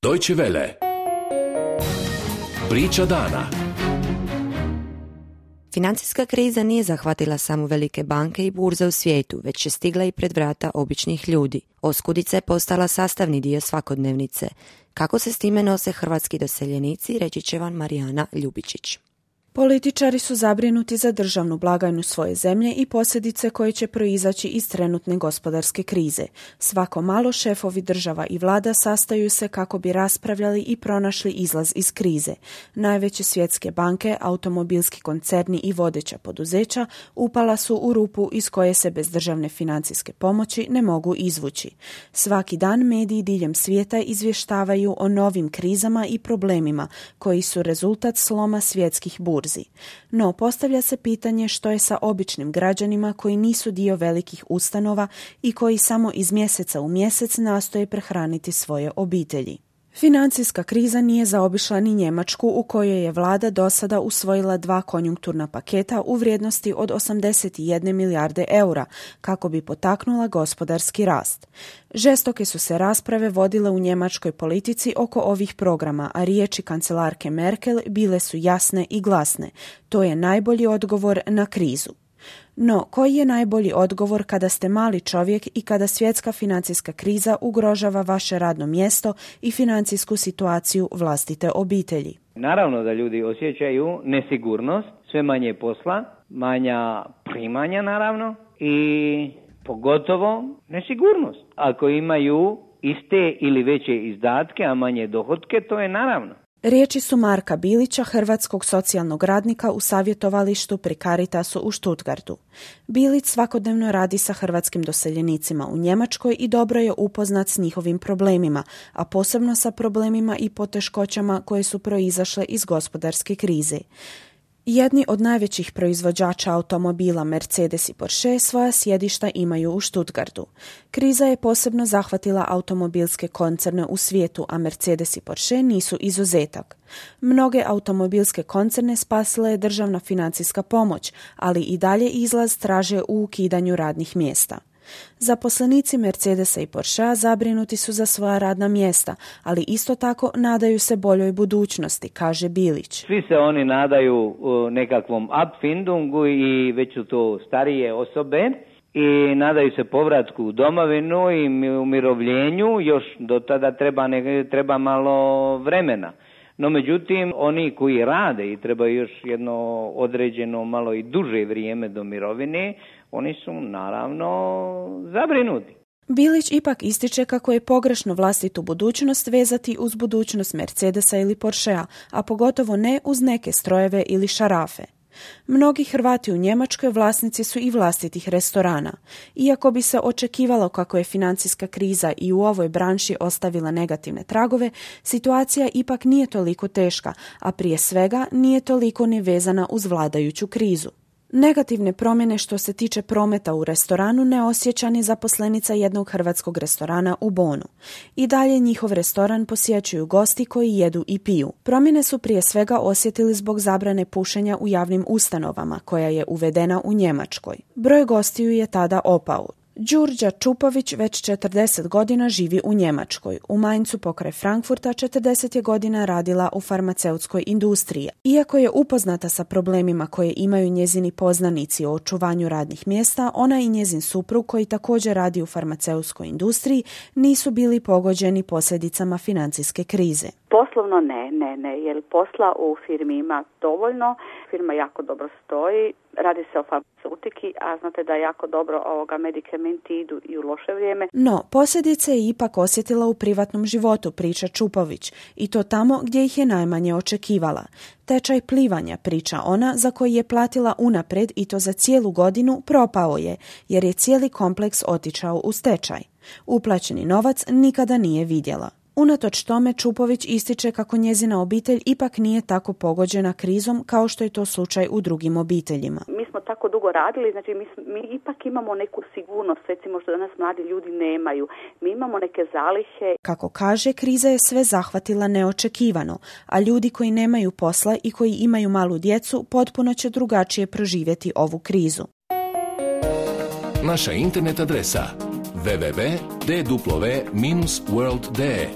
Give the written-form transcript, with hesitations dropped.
Deutsche Welle. Priča dana. Financijska kriza nije zahvatila samo velike banke i burze u svijetu, već je stigla i pred vrata običnih ljudi. Oskudica je postala sastavni dio svakodnevnice. Kako se s time nose hrvatski doseljenici, reći će vam Marijana Ljubičić. Političari su zabrinuti za državnu blagajnu svoje zemlje i posljedice koje će proizaći iz trenutne gospodarske krize. Svako malo šefovi država i vlada sastaju se kako bi raspravljali i pronašli izlaz iz krize. Najveće svjetske banke, automobilski koncerni i vodeća poduzeća upala su u rupu iz koje se bez državne financijske pomoći ne mogu izvući. Svaki dan mediji diljem svijeta izvještavaju o novim krizama i problemima koji su rezultat sloma svjetskih burzi. No, postavlja se pitanje što je sa običnim građanima koji nisu dio velikih ustanova i koji samo iz mjeseca u mjesec nastoje prehraniti svoje obitelji. Financijska kriza nije zaobišla ni Njemačku, u kojoj je vlada do sada usvojila 2 konjunkturna paketa u vrijednosti od 81 milijarde eura kako bi potaknula gospodarski rast. Žestoke su se rasprave vodile u njemačkoj politici oko ovih programa, a riječi kancelarke Merkel bile su jasne i glasne. To je najbolji odgovor na krizu. No, koji je najbolji odgovor kada ste mali čovjek i kada svjetska financijska kriza ugrožava vaše radno mjesto i financijsku situaciju vlastite obitelji? Naravno da ljudi osjećaju nesigurnost, sve manje posla, manja primanja naravno i pogotovo nesigurnost. Ako imaju iste ili veće izdatke, a manje dohotke, to je naravno. Riječi su Marka Bilića, hrvatskog socijalnog radnika u savjetovalištu pri Caritasu u Stuttgartu. Bilić svakodnevno radi sa hrvatskim doseljenicima u Njemačkoj i dobro je upoznat s njihovim problemima, a posebno sa problemima i poteškoćama koje su proizašle iz gospodarske krize. Jedni od najvećih proizvođača automobila Mercedes i Porsche svoja sjedišta imaju u Stuttgartu. Kriza je posebno zahvatila automobilske koncerne u svijetu, a Mercedes i Porsche nisu izuzetak. Mnoge automobilske koncerne spasila je državna financijska pomoć, ali i dalje izlaz traže u ukidanju radnih mjesta. Zaposlenici Mercedesa i Porschea zabrinuti su za svoja radna mjesta, ali isto tako nadaju se boljoj budućnosti, kaže Bilić. Svi se oni nadaju nekakvom Abfindungu i već su to starije osobe i nadaju se povratku u domovinu i umirovljenju, još do tada treba malo vremena. No međutim, oni koji rade i trebaju još jedno određeno malo i duže vrijeme do mirovine, oni su naravno zabrinuti. Bilić ipak ističe kako je pogrešno vlastitu budućnost vezati uz budućnost Mercedesa ili Porschea, a pogotovo ne uz neke strojeve ili šarafe. Mnogi Hrvati u Njemačkoj vlasnici su i vlastitih restorana. Iako bi se očekivalo kako je financijska kriza i u ovoj branši ostavila negativne tragove, situacija ipak nije toliko teška, a prije svega nije toliko ni vezana uz vladajuću krizu. Negativne promjene što se tiče prometa u restoranu ne osjeća ni zaposlenica jednog hrvatskog restorana u Bonu. I dalje njihov restoran posjećuju gosti koji jedu i piju. Promjene su prije svega osjetili zbog zabrane pušenja u javnim ustanovama, koja je uvedena u Njemačkoj. Broj gostiju je tada opao. Đurđa Čupović već 40 godina živi u Njemačkoj. U Mainzu pokraj Frankfurta 40 je godina radila u farmaceutskoj industriji. Iako je upoznata sa problemima koje imaju njezini poznanici o očuvanju radnih mjesta, ona i njezin suprug koji također radi u farmaceutskoj industriji nisu bili pogođeni posljedicama financijske krize. Poslovno ne, jer posla u firmi ima dovoljno, firma jako dobro stoji, radi se o farmaceutiki, a znate da jako dobro medikamenti idu i u loše vrijeme. No, posljedice je ipak osjetila u privatnom životu, priča Čupović, i to tamo gdje ih je najmanje očekivala. Tečaj plivanja, priča ona, za koji je platila unaprijed i to za cijelu godinu, propao je, jer je cijeli kompleks otišao u stečaj. Uplaćeni novac nikada nije vidjela. Unatoč tome Čupović ističe kako njezina obitelj ipak nije tako pogođena krizom kao što je to slučaj u drugim obiteljima. Mi smo tako dugo radili, znači mi ipak imamo neku sigurnost, recimo što danas mladi ljudi nemaju. Mi imamo neke zalihe. Kako kaže, kriza je sve zahvatila neočekivano, a ljudi koji nemaju posla i koji imaju malu djecu potpuno će drugačije proživjeti ovu krizu. Naša internet adresa www.dw-world.de